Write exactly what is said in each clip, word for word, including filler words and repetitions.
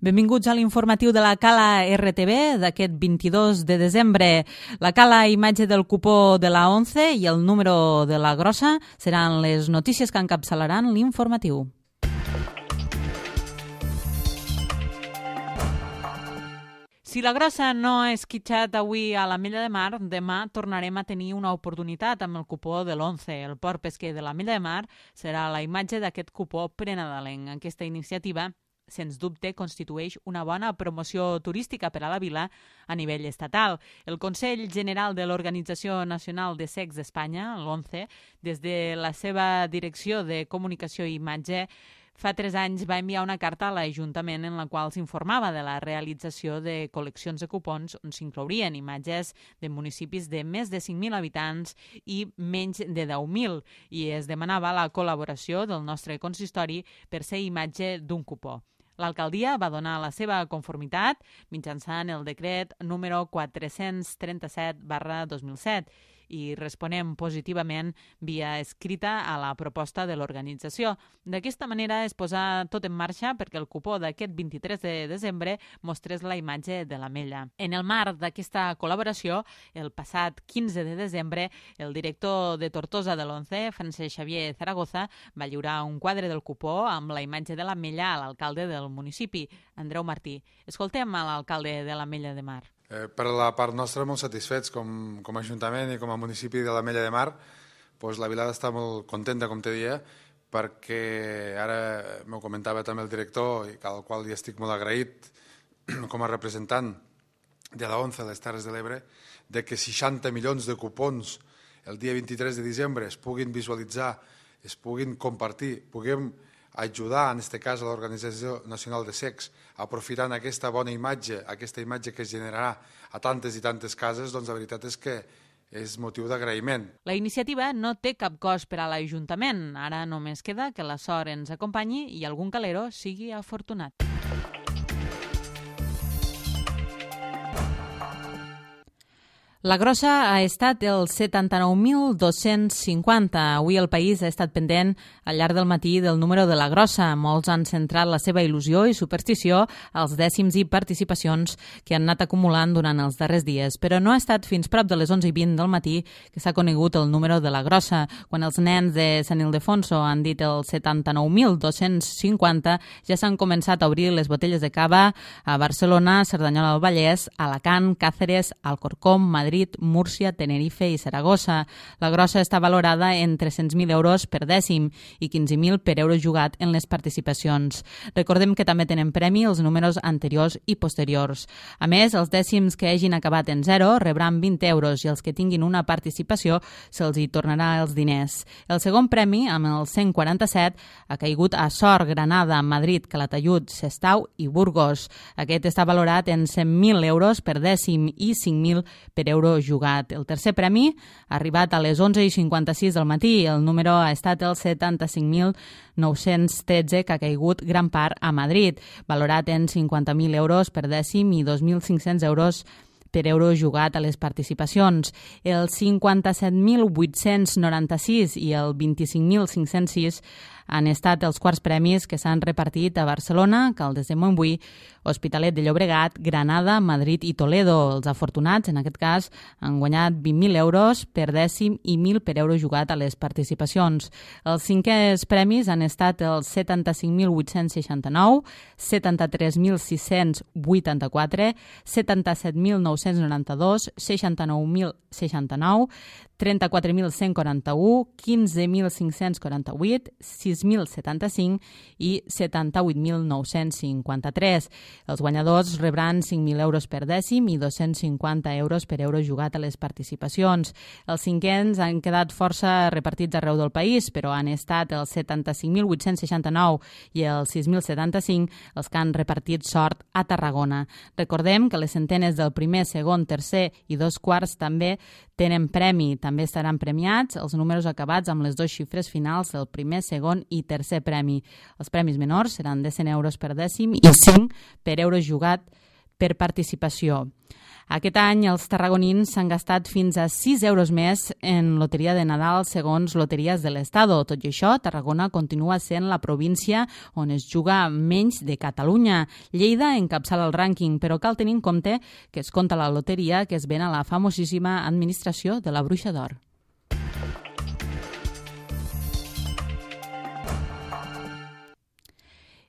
Benvinguts a l'informatiu de la Cala R T V d'aquest vint-i-dos de desembre. La Cala imatge del cupó de la once i el número de la grossa seran les notícies que encapçalaran l'informatiu. Si la grossa no ha esquitxat avui a l'Ametlla de Mar, demà tornarem a tenir una oportunitat amb el cupó de l'once. El port pesquer de l'Ametlla de Mar serà la imatge d'aquest cupó prenadalenc. Aquesta iniciativa, sens dubte, constitueix una bona promoció turística per a la vila a nivell estatal. El Consell General de l'Organització Nacional de Cecs d'Espanya, l'once, des de la seva Direcció de Comunicació i Imatge, fa tres anys va enviar una carta a l'Ajuntament en la qual s'informava de la realització de col·leccions de cupons on s'inclourien imatges de municipis de més de cinc mil habitants i menys de deu mil, i es demanava la col·laboració del nostre consistori per ser imatge d'un cupó. L'alcaldia va donar la seva conformitat mitjançant el decret número quatre-cents trenta-set barra dos mil set i responem positivament via escrita a la proposta de l'organització. D'aquesta manera es posa tot en marxa perquè el cupó d'aquest vint-i-tres de desembre mostrés la imatge de l'Ametlla. En el marc d'aquesta col·laboració, el passat quinze de desembre, el director de Tortosa de l'once, Francesc Xavier Zaragoza, va lliurar un quadre del cupó amb la imatge de l'Ametlla a l'alcalde del municipi, Andreu Martí. Escoltem a l'alcalde de l'Ametlla de Mar. Eh, per la part nostra, molt satisfets com, com a Ajuntament i com a municipi de l'Ametlla de Mar. Pues la vila està molt contenta, com te dia, perquè ara m'ho comentava també el director, i al qual hi estic molt agraït com a representant de la once a les Terres de l'Ebre, de que seixanta milions de cupons el dia vint-i-tres de desembre es puguin visualitzar, es puguin compartir, puguem ajudar, en aquest cas, a l'Organització Nacional de Cecs, aprofitant aquesta bona imatge, aquesta imatge que es generarà a tantes i tantes cases, doncs la veritat és que és motiu d'agraïment. La iniciativa no té cap cost per a l'Ajuntament. Ara només queda que la sort ens acompanyi i algun calero sigui afortunat. La grossa ha estat el setanta-nou mil dos-cents cinquanta. Avui el país ha estat pendent al llarg del matí del número de la grossa. Molts han centrat la seva il·lusió i superstició als dècims i participacions que han anat acumulant durant els darrers dies. Però no ha estat fins prop de les onze i vint del matí que s'ha conegut el número de la grossa. Quan els nens de Sant Ildefonso han dit el setanta-nou mil dos-cents cinquanta, ja s'han començat a obrir les botelles de cava a Barcelona, Cerdanyola del Vallès, Alacant, Càceres, Alcorcom, Madrid, Múrcia, Tenerife i Saragossa. La grossa està valorada en tres-cents mil euros per dècim i quinze mil per euro jugat en les participacions. Recordem que també tenen premi els números anteriors i posteriors. A més, els dècims que hagin acabat en zero rebran vint euros i els que tinguin una participació se'ls hi tornarà els diners. El segon premi, amb el cent quaranta-set, ha caigut a Sort, Granada, Madrid, Calatayud, Sestau i Burgos. Aquest està valorat en cent mil euros per dècim i cinc mil per euro jugat. El tercer premi ha arribat a les onze i cinquanta-sis del matí. El número ha estat el setanta-cinc mil nou-cents tretze, que ha caigut gran part a Madrid, valorat en cinquanta mil euros per dècim i dos mil cinc-cents euros per euro jugat a les participacions. El cinquanta-set mil vuit-cents noranta-sis i el vint-i-cinc mil cinc-cents sis han estat els quarts premis que s'han repartit a Barcelona, Caldes de Montbui, Hospitalet de Llobregat, Granada, Madrid i Toledo. Els afortunats, en aquest cas, han guanyat vint mil euros per dècim i mil per euro jugat a les participacions. Els cinquens premis han estat els setanta-cinc mil vuit-cents seixanta-nou, setanta-tres mil sis-cents vuitanta-quatre, setanta-set mil nou-cents noranta-dos, seixanta-nou mil seixanta-nou, trenta-quatre mil cent quaranta-u, quinze mil cinc-cents quaranta-vuit, sis mil setanta-cinc i setanta-vuit mil nou-cents cinquanta-tres. Els guanyadors rebran cinc mil euros per dècim i dos-cents cinquanta euros per euro jugat a les participacions. Els cinquens han quedat força repartits arreu del país, però han estat els setanta-cinc mil vuit-cents seixanta-nou i els sis mil setanta-cinc els que han repartit sort a Tarragona. Recordem que les centenes del primer, segon, tercer i dos quarts també tenen premi. També estaran premiats els números acabats amb les dues xifres finals del primer, segon i tercer premi. Els premis menors seran de cent euros per dècim i cinc per euro jugat per participació. Aquest any els tarragonins s'han gastat fins a sis euros més en loteria de Nadal segons Loteries de l'Estado. Tot i això, Tarragona continua sent la província on es juga menys de Catalunya. Lleida encapçala el rànquing, però cal tenir en compte que es compta la loteria que es ven a la famosíssima administració de la Bruixa d'Or.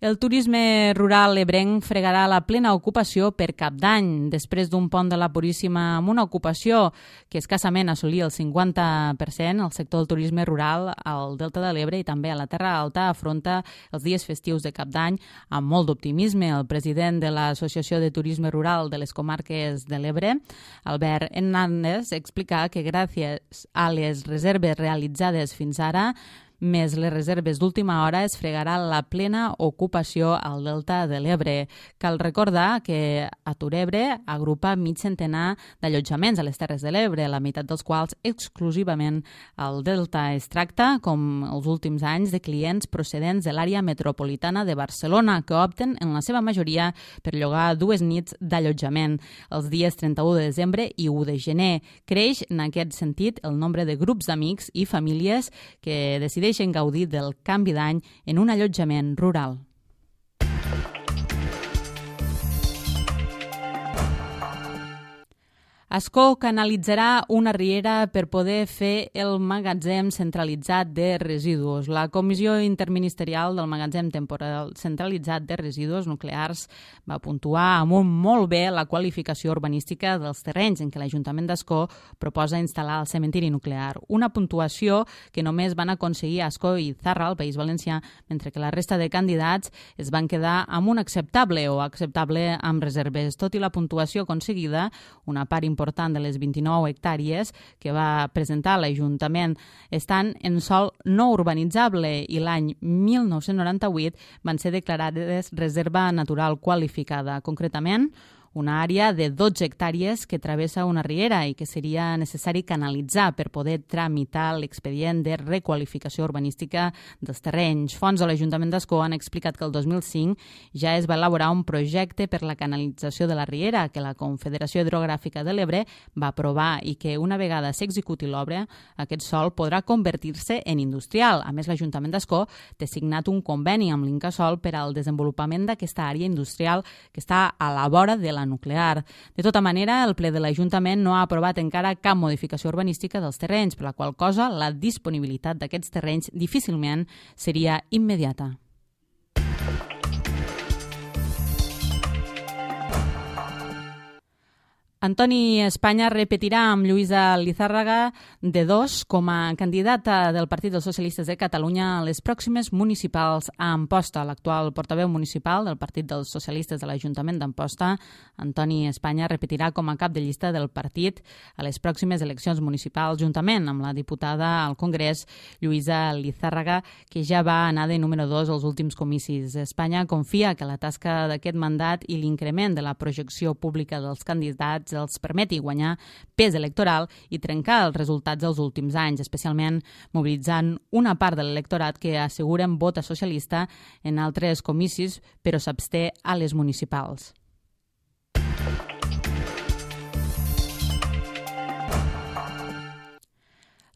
El turisme rural ebrenc fregarà la plena ocupació per Cap d'Any. Després d'un pont de la Puríssima amb una ocupació que escassament assolia el cinquanta per cent, el sector del turisme rural al Delta de l'Ebre i també a la Terra Alta afronta els dies festius de Cap d'Any amb molt d'optimisme. El president de l'Associació de Turisme Rural de les Comarques de l'Ebre, Albert Hernández, explica que gràcies a les reserves realitzades fins ara, més les reserves d'última hora, es fregarà la plena ocupació al Delta de l'Ebre. Cal recordar que Aturebre agrupa mig centenar d'allotjaments a les Terres de l'Ebre, la meitat dels quals exclusivament al Delta. Es tracta, com els últims anys, de clients procedents de l'àrea metropolitana de Barcelona, que opten en la seva majoria per llogar dues nits d'allotjament els dies trenta-u de desembre i u de gener. Creix, en aquest sentit, el nombre de grups d'amics i famílies que decideixen deixen gaudir del canvi d'any en un allotjament rural. Ascó canalitzarà una riera per poder fer el magatzem centralitzat de residus. La Comissió Interministerial del Magatzem Temporal Centralitzat de Residus Nuclears va puntuar amb un molt bé la qualificació urbanística dels terrenys en què l'Ajuntament d'Ascó proposa instal·lar el cementiri nuclear. Una puntuació que només van aconseguir Ascó i Zarra, al País Valencià, mentre que la resta de candidats es van quedar amb un acceptable o acceptable amb reserves. Tot i la puntuació aconseguida, una part important important de les vint-i-nou hectàrees que va presentar l'Ajuntament estan en sòl no urbanitzable i l'any mil nou-cents noranta-vuit van ser declarades reserva natural qualificada. Concretament, una àrea de dotze hectàrees que travessa una riera i que seria necessari canalitzar per poder tramitar l'expedient de requalificació urbanística dels terrenys. Fonts de l'Ajuntament d'Ascó han explicat que el dos mil cinc ja es va elaborar un projecte per la canalització de la riera que la Confederació Hidrogràfica de l'Ebre va aprovar i que una vegada s'executi l'obra, aquest sòl podrà convertir-se en industrial. A més, l'Ajuntament d'Ascó té signat un conveni amb l'Incasòl per al desenvolupament d'aquesta àrea industrial que està a la vora de la nuclear. De tota manera, el ple de l'Ajuntament no ha aprovat encara cap modificació urbanística dels terrenys, per la qual cosa la disponibilitat d'aquests terrenys difícilment seria immediata. Antoni Espanya repetirà amb Lluïsa Lizárraga de dos com a candidata del Partit dels Socialistes de Catalunya a les pròximes municipals a Amposta. L'actual portaveu municipal del Partit dels Socialistes de l'Ajuntament d'Amposta, Antoni Espanya, repetirà com a cap de llista del partit a les pròximes eleccions municipals, juntament amb la diputada al Congrés, Lluïsa Lizárraga, que ja va anar de número dos als últims comicis. Espanya confia que la tasca d'aquest mandat i l'increment de la projecció pública dels candidats els permeti guanyar pes electoral i trencar els resultats dels últims anys, especialment mobilitzant una part de l'electorat que asseguren vota socialista en altres comicis, però s'absté a les municipals.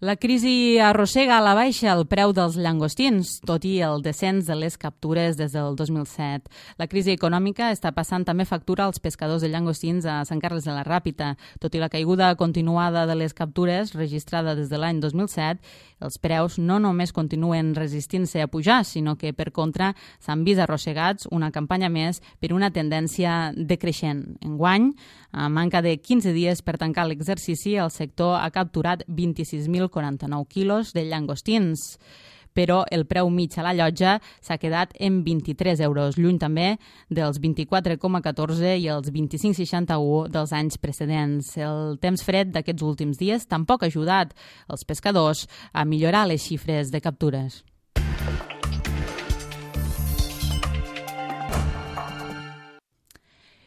La crisi arrossega a la baixa el preu dels llangostins, tot i el descens de les captures des del dos mil set. La crisi econòmica està passant també factura als pescadors de llangostins a Sant Carles de la Ràpita. Tot i la caiguda continuada de les captures registrada des de l'any dos mil set, els preus no només continuen resistint-se a pujar, sinó que, per contra, s'han vist arrossegats una campanya més per una tendència decreixent. Enguany, a manca de quinze dies per tancar l'exercici, el sector ha capturat vint-i-sis mil quaranta-nou quilos de llangostins, però el preu mig a la llotja s'ha quedat en vint-i-tres euros, lluny també dels vint-i-quatre coma catorze i els vint-i-cinc coma seixanta-u dels anys precedents. El temps fred d'aquests últims dies tampoc ha ajudat els pescadors a millorar les xifres de captures.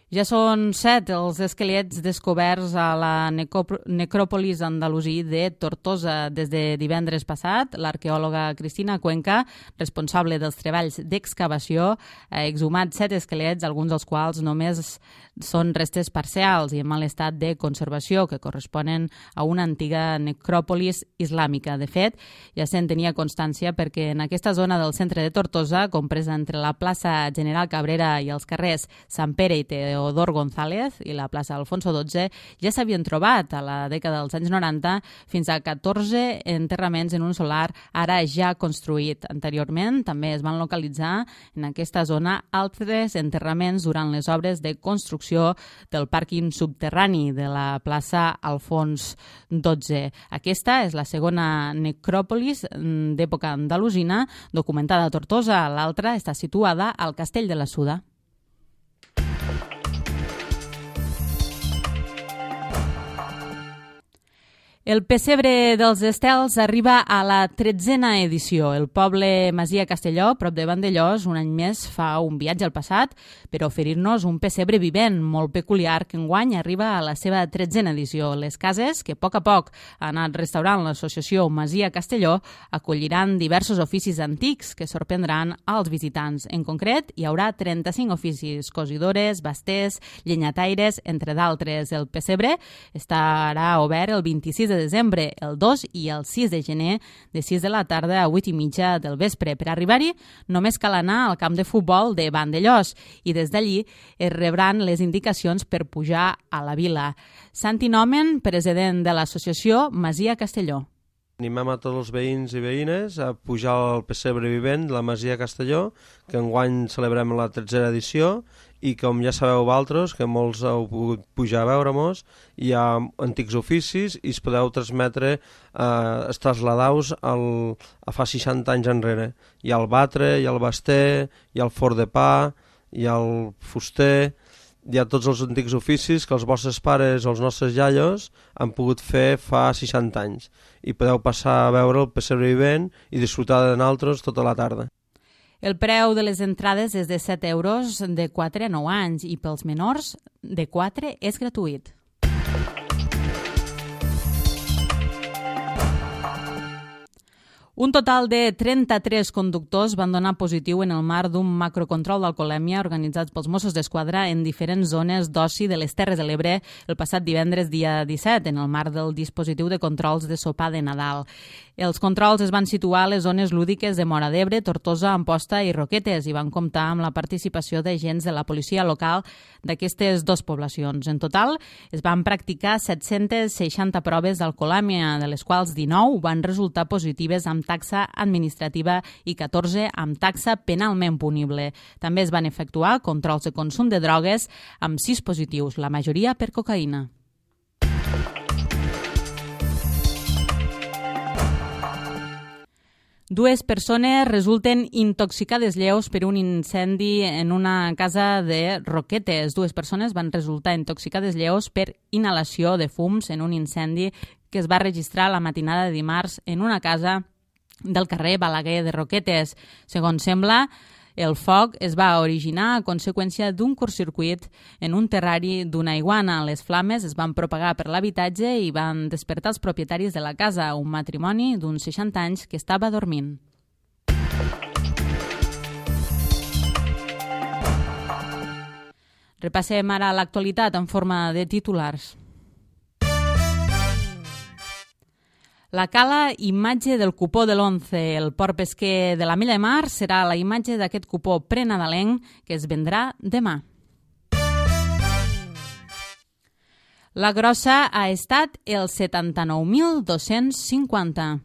Ja són set els esquelets descoberts a la necròpolis andalusí de Tortosa. Des de divendres passat, l'arqueòloga Cristina Cuenca, responsable dels treballs d'excavació, ha exhumat set esquelets, alguns dels quals només són restes parcials i en mal estat de conservació, que corresponen a una antiga necròpolis islàmica. De fet, ja se'n tenia constància perquè en aquesta zona del centre de Tortosa, compresa entre la plaça General Cabrera i els carrers Sant Pere i Teodor González i la plaça Alfonso dotze, ja s'havien trobat a la dècada dels anys noranta fins a catorze enterraments en un solar ara ja construït. Anteriorment també es van localitzar en aquesta zona altres enterraments durant les obres de construcció del pàrquing subterrani de la plaça Alfons dotze. Aquesta és la segona necròpolis d'època andalusina documentada a Tortosa. L'altra està situada al Castell de la Suda. El pessebre dels Estels arriba a la tretzena edició. El poble Masia Castelló, prop de Vandellòs, un any més fa un viatge al passat per oferir-nos un pessebre vivent molt peculiar que enguany arriba a la seva tretzena edició. Les cases, que a poc a poc ha anat restaurant l'associació Masia Castelló, acolliran diversos oficis antics que sorprendran als visitants. En concret, hi haurà trenta-cinc oficis: cosidores, basters, llenyataires, entre d'altres. El pessebre estarà obert el vint-i-sis de desembre, el dos i el sis de gener, de sis de la tarda a vuit i mitja del vespre. Per arribar-hi, només cal anar al camp de futbol de Vandellòs i des d'allí es rebran les indicacions per pujar a la vila. Santi Nomen, president de l'associació Masia Castelló. Animem a tots els veïns i veïnes a pujar al pessebre vivent de la Masia Castelló, que enguany celebrem la tretzena edició, i com ja sabeu vosaltres, que molts heu pogut pujar a veure-mos, hi ha antics oficis i es podeu transmetre, eh, es trasladaus al, a fa seixanta anys enrere. Hi ha el batre, hi ha el baster, hi ha el forn de pa, hi ha el fuster, hi ha tots els antics oficis que els vostres pares o els nostres iaios han pogut fer fa seixanta anys. I podeu passar a veure el pessebre vivent i disfrutar de nosaltres tota la tarda. El preu de les entrades és de set euros de quatre a nou anys i pels menors de quatre és gratuït. Un total de trenta-tres conductors van donar positiu en el marc d'un macrocontrol d'alcoholèmia organitzat pels Mossos d'Esquadra en diferents zones d'oci de les Terres de l'Ebre el passat divendres dia disset, en el marc del dispositiu de controls de sopar de Nadal. Els controls es van situar a les zones lúdiques de Móra d'Ebre, Tortosa, Amposta i Roquetes i van comptar amb la participació d'agents de la policia local d'aquestes dues poblacions. En total, es van practicar set-centes seixanta proves d'alcoholèmia, de les quals dinou van resultar positives amb taxa administrativa i catorze amb taxa penalment punible. També es van efectuar controls de consum de drogues amb sis positius, la majoria per cocaïna. Dues persones resulten intoxicades lleus per un incendi en una casa de Roquetes. Dues persones van resultar intoxicades lleus per inhalació de fums en un incendi que es va registrar la matinada de dimarts en una casa del carrer Balaguer de Roquetes. Segons sembla, el foc es va originar a conseqüència d'un curtcircuit en un terrari d'una iguana. Les flames es van propagar per l'habitatge i van despertar els propietaris de la casa, un matrimoni d'uns seixanta anys que estava dormint. Repassem ara l'actualitat en forma de titulars. La cala imatge del cupó de l'once. El port pesquer de la Mella de Mar serà la imatge d'aquest cupó prenadalenc que es vendrà demà. La grossa ha estat el setanta-nou mil dos-cents cinquanta.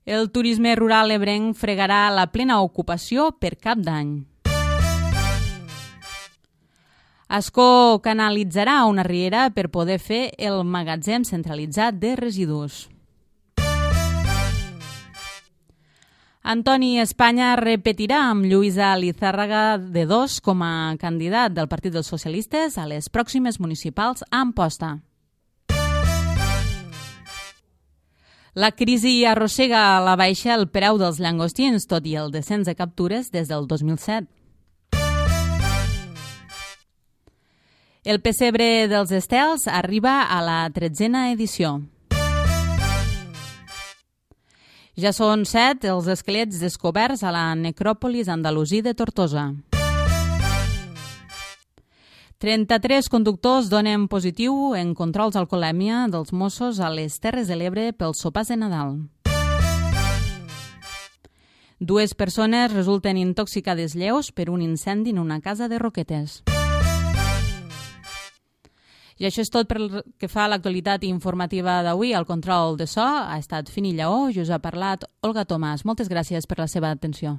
El turisme rural ebrenc fregarà la plena ocupació per Cap d'Any. Ascó canalitzarà una riera per poder fer el magatzem centralitzat de residus. Antoni Espanya repetirà amb Lluïsa Lizárraga de dos com a candidat del Partit dels Socialistes a les pròximes municipals a Amposta. La crisi arrossega a la baixa el preu dels llangostins, tot i el descens de captures des del dos mil set. El pessebre dels estels arriba a la tretzena edició. Ja són set els esquelets descoberts a la necròpolis andalusí de Tortosa. trenta-tres conductors donen positiu en controls d'alcoholèmia dels Mossos a les Terres de l'Ebre pels sopars de Nadal. Dues persones resulten intoxicades lleus per un incendi en una casa de Roquetes. I això és tot pel que fa a l'actualitat informativa d'avui. El control de so ha estat Fini Lleó i us ha parlat Olga Tomàs. Moltes gràcies per la seva atenció.